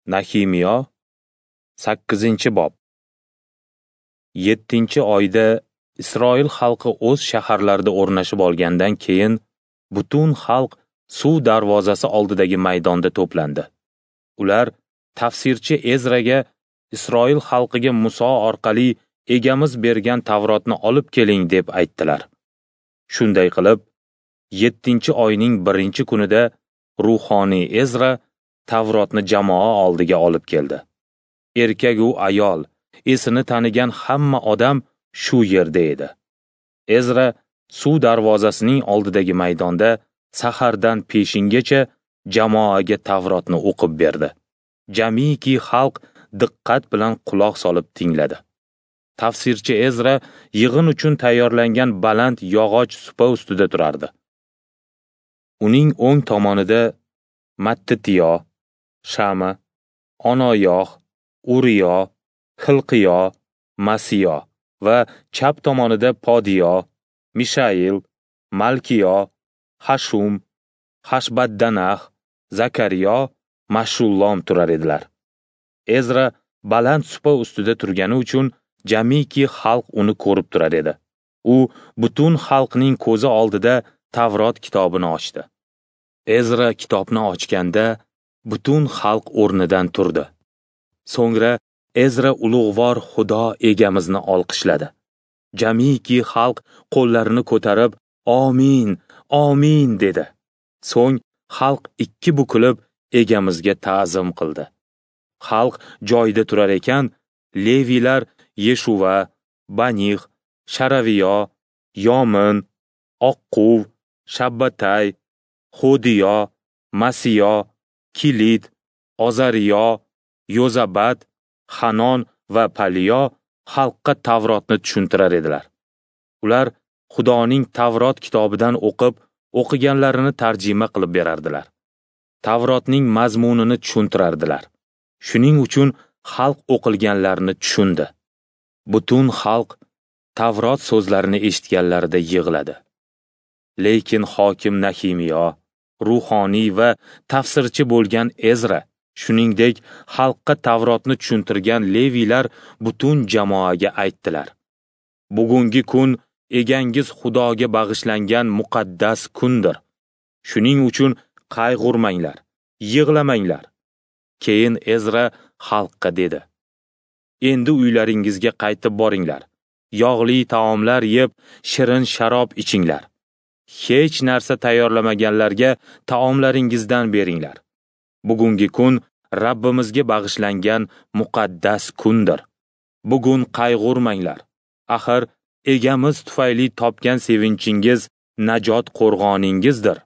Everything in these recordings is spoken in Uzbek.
Nahimiyo, 8-bob. 7-oyda Isroil xalqi o'z shaharlarida o'rnashib olgandan keyin butun xalq suv darvozasi oldidagi maydonda to'plandi. Ular tafsirchi Ezraga Isroil xalqiga Muso orqali egamiz bergan Tavrotni olib keling deb aytdilar. Shunday qilib, 7-oyning 1-kunida ruhoniy Ezra Tavrotni jamoa oldiga olib keldi. Erkak u ayol, esini tanigan hamma odam shu yerda edi. Ezra suv darvozasining oldidagi maydonda sahardan peshingacha jamoaga Tavrotni o'qib berdi. Jamiki xalq diqqat bilan quloq solib tingladi. Tafsirchi Ezra yig'in uchun tayyorlangan baland yog'och supa ustida turardi. Uning o'ng tomonida Mattitiyo, Shama, Onoyoh, Uriyo, Xilqiyo, Masiyo va chap tomonida Podiyo, Mishail, Malkiyo, Hashum, Hashbaddanah, Zakariyo, Mashullom turar edilar. Ezra baland supa ustida turgani uchun jamiki xalq uni ko'rib turar edi. U butun xalqning ko'zi oldida Tavrot kitobini ochdi. Ezra kitobni ochganda butun xalq o'rnidan turdi. So'ngra Ezra ulug'vor Xudo egamizni olqishladi. Jamiki xalq qo'llarini ko'tarib, "Amin, amin" dedi. So'ng xalq ikki bukilib egamizga ta'zim qildi. Xalq joyida turar ekan, Leviylar Yeshuva, Banix, Sharaviyo, Yomin, Oqquv, Shabbatay, Hodiyo, Masiyo, Kilit, Ozariyo, Yozabat, Hanon va Paliyo xalqqa Tavrotni tushuntirar edilar. Ular Xudoning Tavrot kitobidan o'qib, o'qiganlarini tarjima qilib berardilar. Tavrotning mazmunini tushuntirardilar. Shuning uchun xalq o'qilganlarini tushundi. Butun xalq Tavrot so'zlarini eshitganlarida yig'ladi. Lekin hokim Nahimiyo, ruhoniy va tafsirchi bo'lgan Ezra, shuningdek xalqqa Tavrotni tushuntirgan Leviylar butun jamoaga aytdilar: Bugungi kun egangiz Xudoga bag'ishlangan muqaddas kundir. Shuning uchun qayg'urmanglar, yig'lamanglar. Keyin Ezra xalqqa dedi: Endi uylaringizga qaytib boringlar. Yog'li taomlar yeb, shirin sharob ichinglar. Hech narsa tayyorlamaganlarga taomlaringizdan beringlar. Bugungi kun Rabbimizga bag'ishlangan muqaddas kundir. Bugun qayg'urmanglar. Axir egamiz tufayli topgan sevinchingiz najot qo'rg'oningizdir.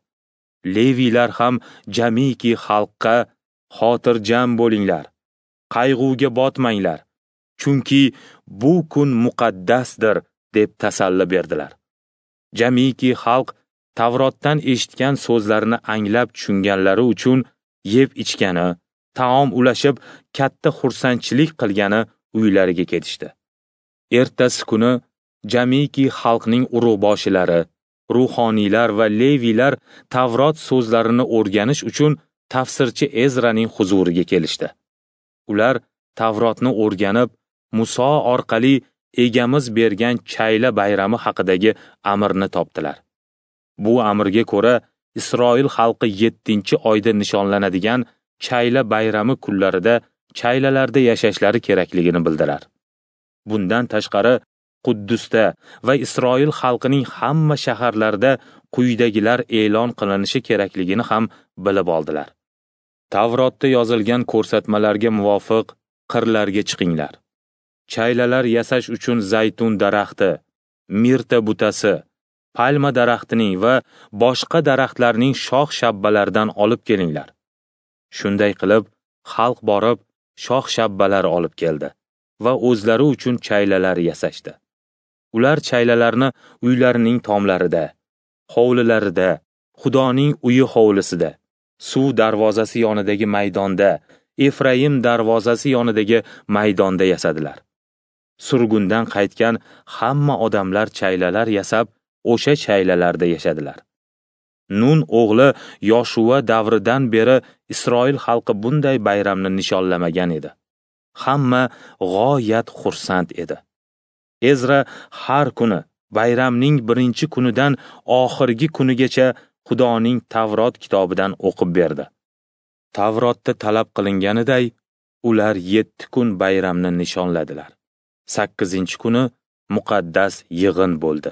Leviylar ham jamiki xalqqa xotirjam bo'linglar, qayg'uga botmanglar, chunki bu kun muqaddasdir deb tasalli berdilar. Jamiki xalq Tavrotdan eshitgan so'zlarini anglab tushunganlari uchun yeb ichgani, taom ulashib, katta xursandchilik qilgani uylariga ketishdi. Ertasi kuni jamiki xalqning urug'boshilari, ruhoniylar va leviylar Tavrot so'zlarini o'rganish uchun tafsirchi Ezraning huzuriga kelishdi. Ular Tavrotni o'rganib, Muso orqali egamiz bergan chayla bayrami haqidagi amrni topdilar. Bu amrga ko'ra Isroil xalqi 7-oyda nishonlanadigan chayla bayrami kunlarida chaylalarda yashashlari kerakligini bildilar. Bundan tashqari Quddusda va Isroil xalqining hamma shaharlarida quyidagilar e'lon qilinishi kerakligini ham bilib oldilar. Tavrotda yozilgan ko'rsatmalarga muvofiq qirlarga chiqinglar. Chaylalar yasash uchun zaytun daraxti, mirta butasi, palma daraxtining va boshqa daraxtlarning shox-shabbalaridan olib kelinglar. Shunday qilib, xalq borib shox-shabbalar olib keldi va o'zlari uchun chaylalar yasashdi. Ular chaylalarni uylarining tomlarida, hovlilarida, Xudoning uyi hovlisida, suv darvozasi yonidagi maydonda, Efraim darvozasi yonidagi maydonda yasadilar. Surgundan qaytgan hamma odamlar chaylalar yasab, o'sha chaylalarda yashadilar. Nun o'g'li Yoshuva davridan beri Isroil xalqi bunday bayramni nishonlamagan edi. Hamma g'oyat xursand edi. Ezra har kuni bayramning birinchi kunidan oxirgi kunigacha Xudoning Tavrot kitobidan o'qib berdi. Tavrotda talab qilinganiday, ular 7 kun bayramni nishonladilar. 8-kuni muqaddas yig'in bo'ldi.